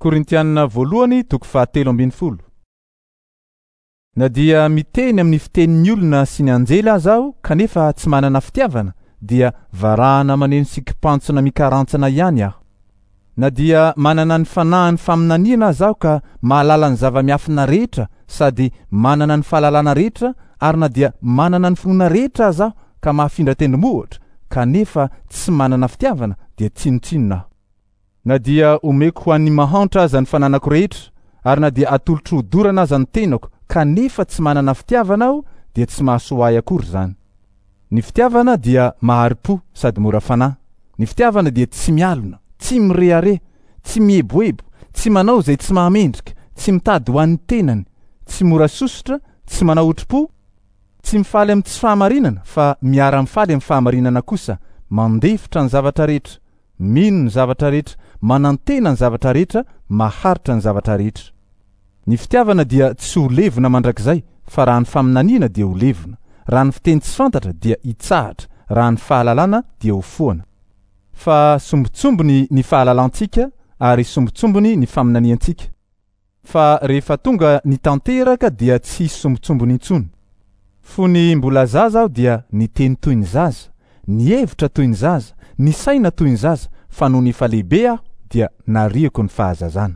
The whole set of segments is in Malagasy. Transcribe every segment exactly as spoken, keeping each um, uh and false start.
Korintianina voalohany toko fahatelo ambin'ny folo. Na dia miteny amin'ny fitenin'ny olona sy ny anjely aza aho kanefa tsy manana fitiavana, dia varahana maneno sy kipantsona mikarantsana ihany aho. Na dia manana ny fanahin'ny faminaniana aza aho ka mahalala ny zava-miafina rehetra sady manana ny fahalalana rehetra, ary na dia manana ny finoana rehetra aza aho ka mahafindra tendrombohitra kanefa tsy manana fitiavana, dia tsinontsinona aho. Na dia omeko ho an'ny mahantra aza ny fananako rehetra, ary na dia atolotro hodorana aza ny tenako kanefa tsy manana fitiavana aho, dia tsy mahasoa ahy akory izany. Ny fitiavana dia mahari-po sady mora fanahy. Ny fitiavana dia tsy mialona, tsy mirehareha, tsy mieboebo, tsy manao izay tsy mahamendrika, tsy mitady ho an'ny tenany, tsy mora sosotra, tsy manao otri-po, tsy mifaly amin'ny tsy fahamarinana fa miara-mifaly amin'ny fahamarinana kosa, mandefitra ny zavatra rehetra, mino ny zavatra rehetra, manantena ny zavatra rehetra, maharitra ny zavatra rehetra. Ny fitiavana dia tsy ho levona mandrakizay, fa raha ny faminaniana dia ho levona, raha ny fiteny tsy fantatra dia hitsahatra, raha ny fahalalana dia ho foana. Fa sombintsombiny ny fahalalantsika ary sombintsombiny ny faminaniantsika. Fa rehefa tonga ny tanteraka dia tsy hisy sombintsombiny intsony. Fony mbola zaza aho dia niteny toy ny zaza, nihevitra toy ny zaza, nisaina toy ny zaza, fa nony efa lehibe aho dia nariako ny fahazazana.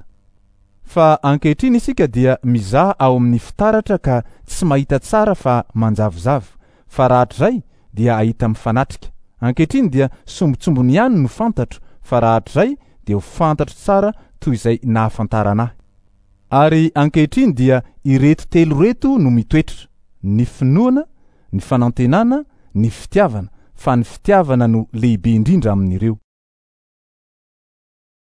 Fa ankehitriny isika dia mizaha ao amin'ny fitaratra ka tsy mahita tsara fa manjavozavo, fa rahatrizay dia hahita mifanatrika. Ankehitriny dia sombintsombiny ihany no fantatro, fa rahatrizay dia ho fantatro tsara toy izay nahafantarana ahy. Ary ankehitriny dia ireto telo ireto no mitoetra: ny finoana, ny fanantenana, ny fitiavana, fa ny fitiavana no lehibe indrindra amin'ireo.